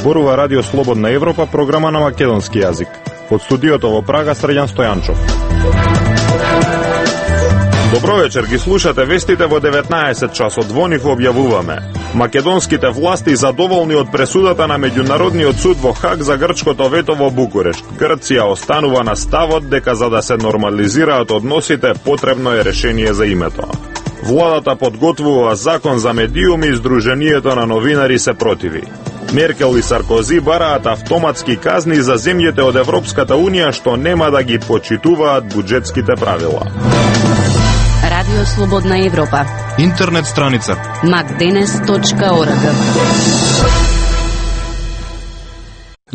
Зборува Радио Слободна Европа, програма на македонски јазик. Од студиото во Прага, Срđan Стојанчов. Добро вечер, ги слушате вестите во 19 часот. Во нив објавуваме: македонските власти задоволни од пресудата на Меѓународниот суд во Хаг за грчкото вето во Букурешт. Грција останува на ставот дека за да се нормализираат односите потребно е решение за името. Владата подготвува закон за медиуми и Сдруженијето на новинари се противи. Меркел и Саркози бараат автоматски казни за земјите од Европската Унија што нема да ги почитуваат буџетските правила. Радио Слободна Европа. Интернет страница macdenes.org.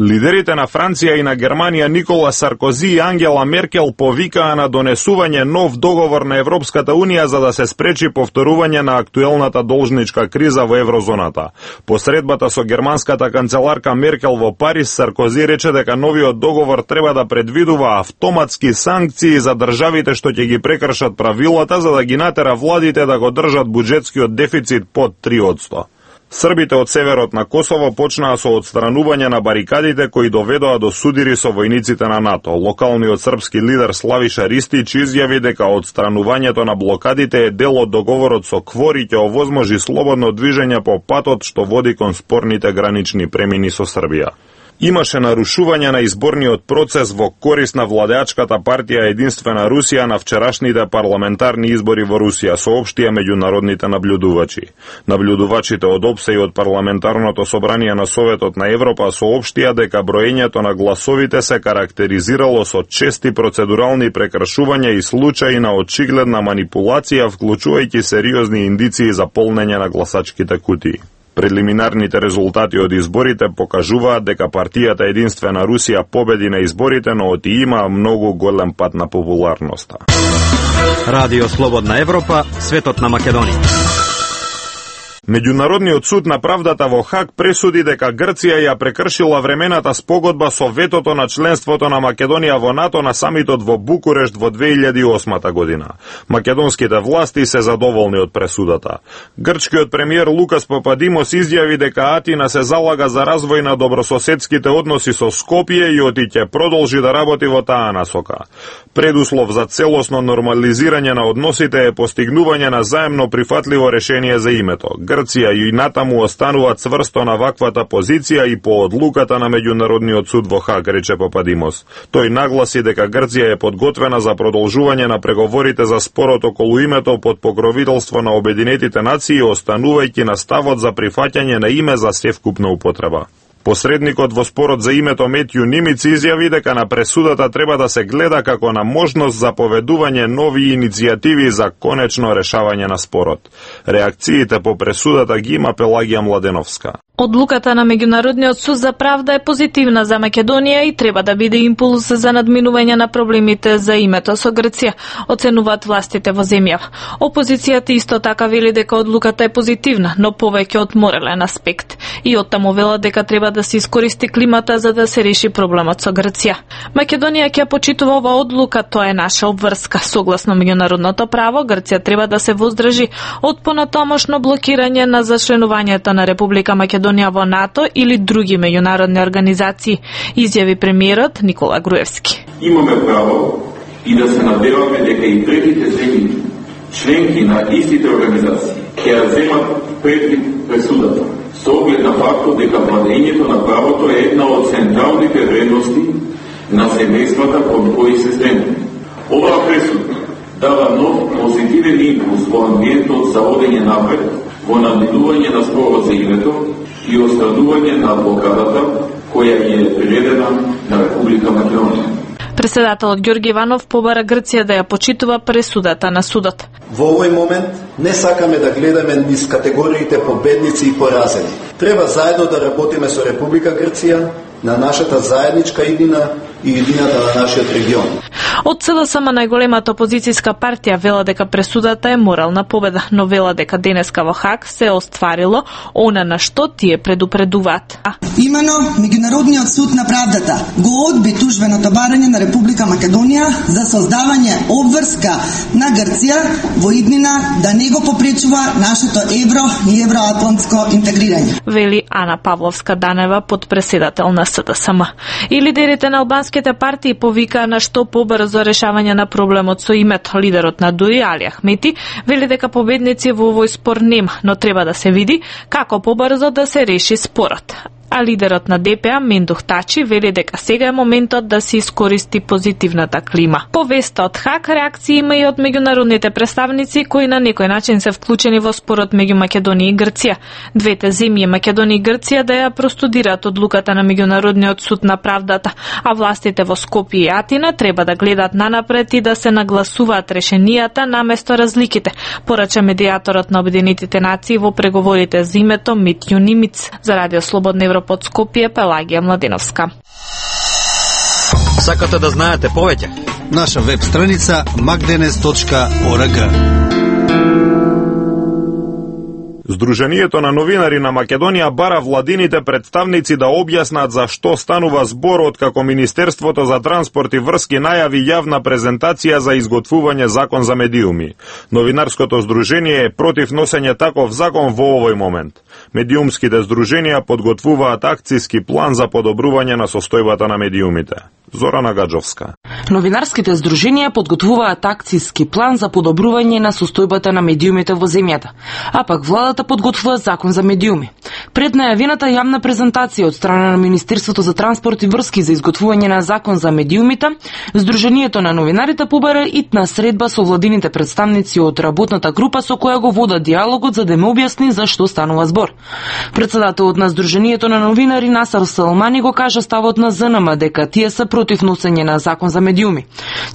Лидерите на Франција и на Германија Никола Саркози и Ангела Меркел повикаа на донесување нов договор на Европската Унија за да се спречи повторување на актуелната должничка криза во еврозоната. По средбата со германската канцеларка Меркел во Париз, Саркози рече дека новиот договор треба да предвидува автоматски санкции за државите што ќе ги прекршат правилата за да ги натера владите да го држат буџетскиот дефицит под 3%. Србите од северот на Косово почнаа со отстранување на барикадите кои доведоа до судири со војниците на НАТО. Локалниот српски лидер Славиша Ристич изјави дека отстранувањето на блокадите е дел од договорот со КФОР и ќе овозможи слободно движење по патот што води кон спорните гранични премини со Србија. Имаше нарушување на изборниот процес во корист на владеачката партија Единствена Русија на вчерашните парламентарни избори во Русија, соопштија меѓународните наблюдувачи. Наблюдувачите од ОПСЕ и од парламентарното собрание на Советот на Европа соопштија дека броењето на гласовите се карактеризирало со чести процедурални прекршувања и случаи на очигледна манипулација, вклучувајќи сериозни индиции за полнење на гласачките кутии. Прелиминарните резултати од изборите покажуваат дека партијата Единствена Русија победи на изборите, но оти има многу голем пат на популарноста. Радио Слободна Европа, светот на Македонија. Меѓународниот суд на правдата во Хаг пресуди дека Грција ја прекршила времената спогодба со ветото на членството на Македонија во НАТО на самитот во Букурешт во 2008 година. Македонските власти се задоволни од пресудата. Грчкиот премиер Лукас Пападимос изјави дека Атина се залага за развој на добрососедските односи со Скопје и оти ќе продолжи да работи во таа насока. Предуслов за целосно нормализирање на односите е постигнување на заемно прифатливо решение за името. Грција и натаму останува цврсто на ваквата позиција и по одлуката на Меѓународниот суд во Хаг, рече Пападимос. Тој нагласи дека Грција е подготвена за продолжување на преговорите за спорот околу името под покровителство на Обединетите нации, останувајќи на ставот за прифаќање на име за севкупна употреба. Посредникот во спорот за името Метју Нимиц изјави дека на пресудата треба да се гледа како на можност за поведување нови иницијативи за конечно решавање на спорот. Реакциите по пресудата ги има Пелагија Младеновска. Одлуката на Меѓународниот суд за правда е позитивна за Македонија и треба да биде импулс за надминување на проблемите за името со Грција, оценуваат властите во земјава. Опозицијата исто така вели дека одлуката е позитивна, но повеќе од морален аспект. И оттаму велат дека треба да се искористи климата за да се реши проблемот со Грција. Македонија ќе почитува оваа одлука, тоа е наша обврска. Согласно меѓународното право, Грција треба да се воздржи од понатомошно блокирање на зачленувањето на Република Македонија во НАТО или други меѓународни организации, изјави премиерот Никола Груевски. Имаме право и да се надеваме дека и третите земји, членки на истите организации, ќе ја земат предвид пресудата, со оглед на фактот дека владењето на правото е една од централните вредности на семејствата кон кои се земе. Оваа пресуда дава нов позитивен импулс во амбиентот за одење напред, во надминување на спорот за името и острадување на блокадата која е приведена на Република Македонија. Председателот Ѓорги Иванов побара Грција да ја почитува пресудата на судот. Во овој момент не сакаме да гледаме низ категориите победници и поразени. Треба заедно да работиме со Република Грција на нашата заедничка иднина и иднината на нашиот регион. Од СДСМ најголемата опозицијска партија вела дека пресудата е морална победа, но вела дека денеска во Хаг се остварило она на што тие предупредуваат. Имено, Меѓународниот суд на правдата го одби тужбеното барање на Република Македонија за создавање обврска на Грција во иднина да не го попречува нашето евро и евроатлантско интегрирање. Вели Ана Павловска-Данева, подпредседател на СДСМ. И лидерите на албанските партии повикаа на што побрзо решавање на проблемот со името. Лидерот на ДУИ Али Ахмети вели дека победници во овој спор нема, но треба да се види како побрзо да се реши спорот. А лидерот на ДПА Мендух Тачи вели дека сега е моментот да се искористи позитивната клима. По веста од Хаг, реакции има и од меѓународните представници кои на некој начин се вклучени во спорот меѓу Македонија и Грција. Двете земји, Македонија и Грција, да ја простудираат одлуката на Меѓународниот суд на правдата, а властите во Скопје и Атина треба да гледат нанапред и да се нагласуваат решенијата наместо разликите, порача медијаторот на Обединетите нации во преговорите за името Мит Юнимиц. За Радио Слободна Европа од Скопје, Пелагија Младеновска. Сакате да знаете повеќе? Наша веб страница magdenes.org. Сдруженијето на новинари на Македонија бара владините представници да објаснат за што станува збор откако Министерството за транспорт и врски најави јавна презентација за изготвување закон за медиуми. Новинарското здружение е против носење таков закон во овој момент. Медиумските здруженија подготвуваат акцијски план за подобрување на состојбата на медиумите. Зорана Гаджовска. Новинарските здруженија подготвуваат акцијски план за подобрување на состојбата на медиумите во земјата, а пак владата подготвува закон за медиуми. Пред најавената јавна презентација од страна на Министерството за транспорт и врски за изготвување на закон за медиумите, Сдруженијето на новинарите побара итна средба со владините представници од работната група со која го вода диалогот за да им објасни за што станува збор. Председателот на Сдруженијето на новинари Насар Салмани го кажа ставот на ЗНМ дека тие се против носење на закон за медиуми.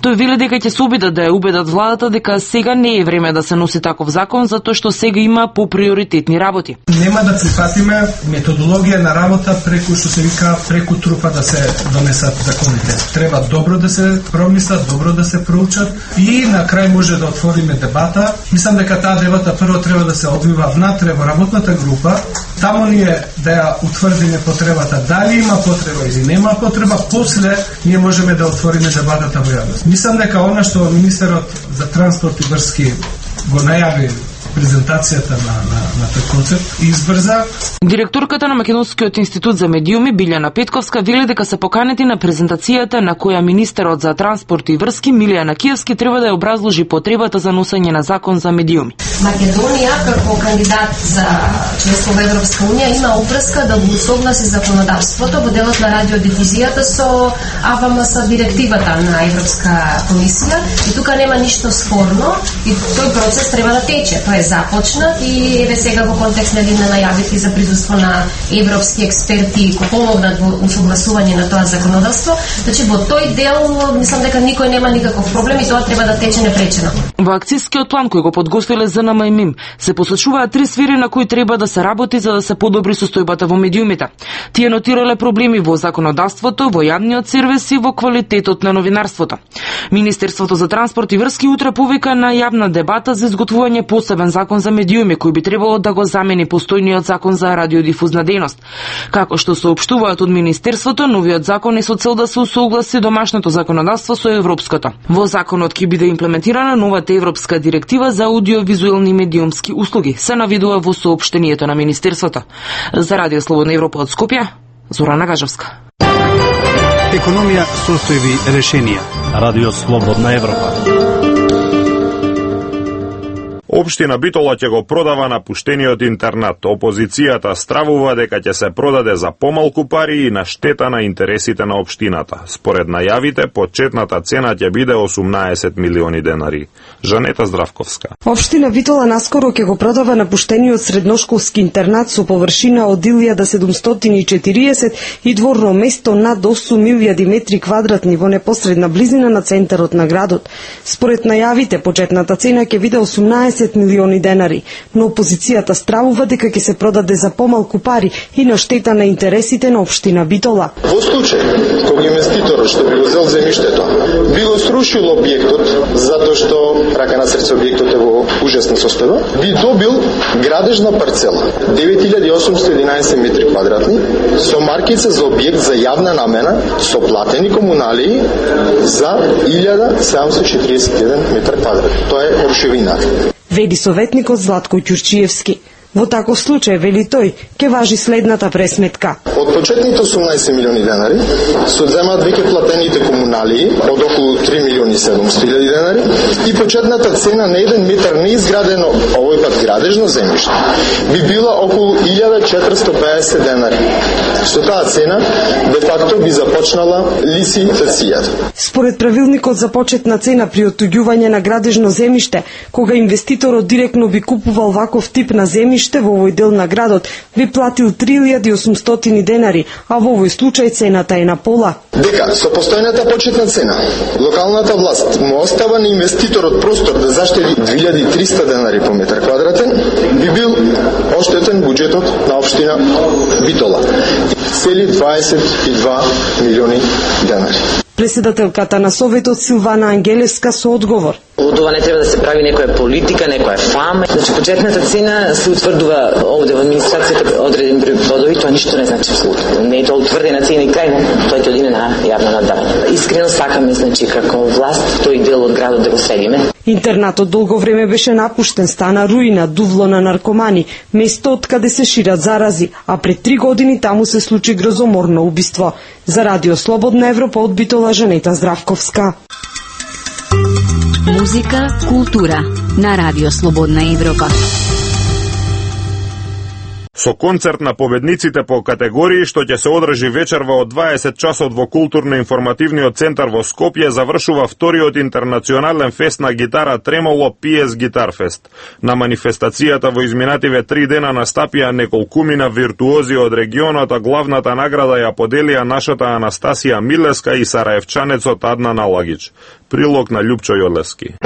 Тој вели дека ќе се обидат да ја убедат владата дека сега не е време да се носи таков закон затоа што сега има поприоритетни работи. Нема да прифатиме методологија на работа преку што се вика преку трупа да се донесат законите. Треба добро да се промислат, добро да се проучат и на крај може да отвориме дебата. Мислам дека таа дебата прво треба да се одвива внатре во работната група. Таму ние да ја утврдиме потребата, дали има потреба или нема потреба, после ние можеме да отвориме дебатата во јавност. Мислам дека она што министерот за транспорт и врски го најави презентацијата на тој концепт и избрза. Директорката на Македонскиот институт за медиуми Билјана Петковска вели дека се поканети на презентацијата на која министерот за транспорт и врски Милијана Киевски треба да ја образложи потребата за носење на закон за медиуми. Македонија како кандидат за членство во Европска унија има обврска да го согласи законодавството во делот на радиодифузијата со АВМС директивата на Европска комисија и тука нема ништо спорно и тој процес треба да тече. Тоа е започнат и еве сега во контекст на најавите за присуство на европски експерти кои помогнат во усогласување на тоа законодавство. Значи во тој дел мислам дека никој нема никаков проблем и тоа треба да тече непречено. Во акцијскиот план кој го подготвиле ЗНМ и МИМ се посочуваат 3 сфери на кои треба да се работи за да се подобри состојбата во медиумите. Тие нотирале проблеми во законодавството, во јавниот сервис и во квалитетот на новинарството. Министерството за транспорт и врски утре повика на јавна дебата за изготвување посебен закон за медиуми кој би требало да го замени постојниот закон за радиодифузна дејност. Како што соопштуваат од Министерството, новиот закон е со цел да се усогласи домашното законодавство со европското. Во законот ќе биде имплементирана новата европска директива за аудиовизуелни медиумски услуги, се навидува во соопштението на Министерството. За Радио Слободна Европа од Скопје, Зорана Гажовска. Економија, состојби, решенија. Радио Слободна Европа. Општина Битола ќе го продава напуштениот интернат. Опозицијата стравува дека ќе се продаде за помалку пари и на штета на интересите на општината. Според најавите, почетната цена ќе биде 18 милиони денари. Жанета Здравковска. Општина Битола наскоро ќе го продава напуштениот средношколски интернат со површина од 1740 и дворно место над 8.000 метри квадратни во непосредна близина на центарот на градот. Според најавите, почетната цена ќе биде 18 10 милиони денари, но опозицијата стравува дека ќе се продаде за помалку пари и на штета на интересите на општина Битола. Во случај кога инвеститорот што би го зел земјиштето би го срушил објектот затоа што рака на срце објектот е во ужасна состојба, би добил градежна парцела 9811 метри квадратни со маркица за објект за јавна намена со платени комуналии за 1741 метар квадратни. Тоа е рушевина. Вели советникот Златко Ќурчиевски. Во таков случај, вели тој, ќе важи следната пресметка. Од почетните 18 милиони денари се одземаат веќе платените комуналии од околу 3 милиони 700 хиляди денари и почетната цена на 1 метар неизградено, овој пат градежно земјиште, би била околу 1450 денари. Со таа цена, де факто би започнала лицитацијата. Според правилникот за почетна цена при оттуѓување на градежно земјиште, кога инвеститорот директно би купувал ваков тип на земјиште во овој дел на градот, би платил 3800 денари, а во овој случај цената е на пола. Дека со постојната почетна цена, локалната власт му остава на инвеститорот простор да заштеди 2300 денари по метар квадратен, би бил оштетен буџетот на општина Битола. Цели 22 милиони денари. Председателката на Советот Силвана Ангелевска со одговор. Од ова не треба да се прави некоја политика, некоја фама. Значи, почетната цена се утврдува овде во администрацијата одреден број плодови, тоа ништо не значи абсолютно. Не е тоа утврдена цена и крај, тоа ќе одиде на јавно наддавање. Искрено сакаме, значи, како власт, тој дел од градот да го следиме. Интернатот долго време беше напуштен, стана руина, дувло на наркомани, место од каде се шират зарази, а пред 3 години таму се случи грозоморно убиство. За Радио Слободна Европа од Битола Жанета Здравковска. Музика, култура на Радио Слободна Европа. Со концерт на победниците по категории што ќе се одржи вечерва од 20 часот во културно-информативниот центар во Скопје завршува вториот интернационален фест на гитара Тремоло PS Guitar Fest. На манифестацијата во изминативе 3 дена настапија неколкумина виртуози од регионот, а главната награда ја поделија нашата Анастасија Милеска и сараевчанецот Аднан Алагич. Прилог на Љупчо Јолевски.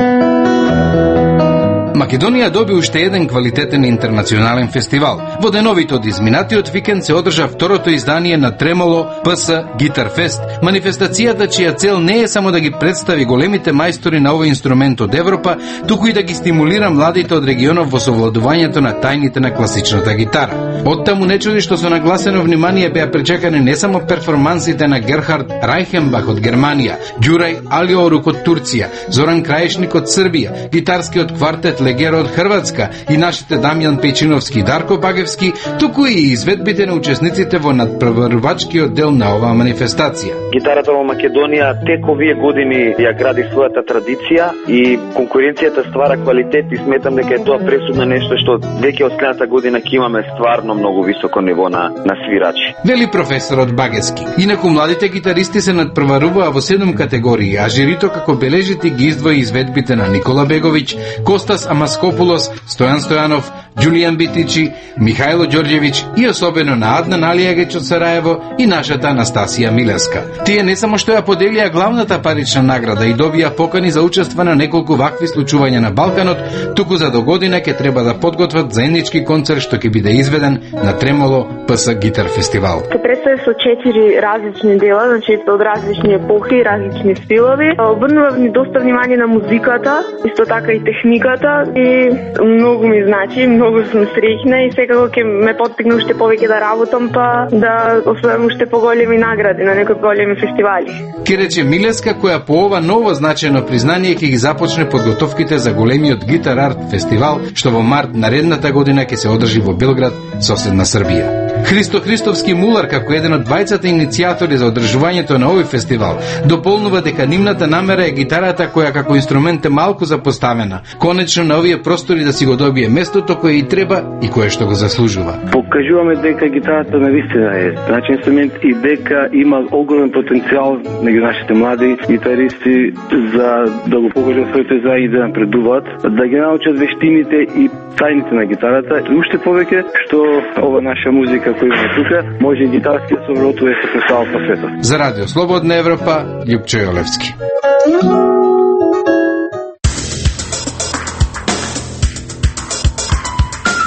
Македонија доби уште еден квалитетен интернационален фестивал. Во деновите од изминатиот викенд се одржа второто издание на Тремоло PS Guitar Fest, манифестацијата чија цел не е само да ги представи големите мајстори на овој инструмент од Европа, туку и да ги стимулира младите од регионот во совладувањето на тајните на класичната гитара. Оттаму не чуди што со нагласено внимание беа пречекани не само перформансите на Герхард Рајхенбах од Германија, Ѓурај Алиорук од Турција, Зоран Крајешник од Србија, гитарскиот квартет Легера од Хрватска и нашите Дамјан Пејчиновски и Дарко Багевски, туку и изведбите на учесниците во надпреварувачкиот дел на оваа манифестација. Гитарата во Македонија тек овие години ја гради својата традиција и конкуренцијата ствара квалитет и сметам дека е тоа пресудно нешто што веќе од следната година ќе имаме стварно многу високо ниво на свирачи. Вели професорот Багевски. Инаку младите гитаристи се надпреваруваа во 7 категории, а жирито како бележите ги издвои изведбите на Никола Беговиќ, Костас Маскопулос, Стојан Стојанов, Ѓулијан Битичи, Михајло Ѓорѓевиќ и особено на Аднан Алијагич од Сараево и нашата Анастасија Милеска. Тие не само што ја поделија главната парична награда и добија покани за учество на неколку вакви случувања на Балканот, туку за до година ќе треба да подготват заеднички концерт што ќе биде изведен на Тремоло PS Guitar Festival. Се представи со 4 различни дела, значи од различни епохи, различни стилови. Обрнував ни доста внимание на музиката, исто така и техниката и многу ми значи, многу сум среќна и секако ќе ме поттикне уште повеќе да работам, па да освојам уште поголеми награди на некои големи фестивали. Ке рече Милеска, која по ова ново значајно признание ќе ги започне подготовките за големиот Гитар Арт фестивал, што во март наредната година ќе се одржи во Белград, соседна Србија. Христо Христовски Мулар, како еден од двајцата иницијатори за одржувањето на овој фестивал, дополнува дека нивната намера е гитарата која како инструмент е малку запоставена, конечно на овие простори да си го добие местото кое и треба и кое што го заслужува. Покажуваме дека гитарата навистина е значаен инструмент и дека има огромен потенцијал меѓу нашите млади гитаристи за да го покажат своите заи да напредуваат, да ги научат вештините и тајните на гитарата и уште повеќе што ова наша музика која има тука може гитарски да се вротува со представа по светот. За Радио Слободна Европа, Љупчо Јолевски.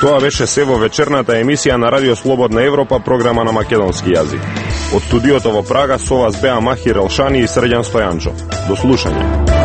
Тоа беше се во вечерната емисија на Радио Слободна Европа, програма на македонски јазик. Од студиото во Прага со вас беа Махир Елшани и Срđan Стојанчов. До слушање.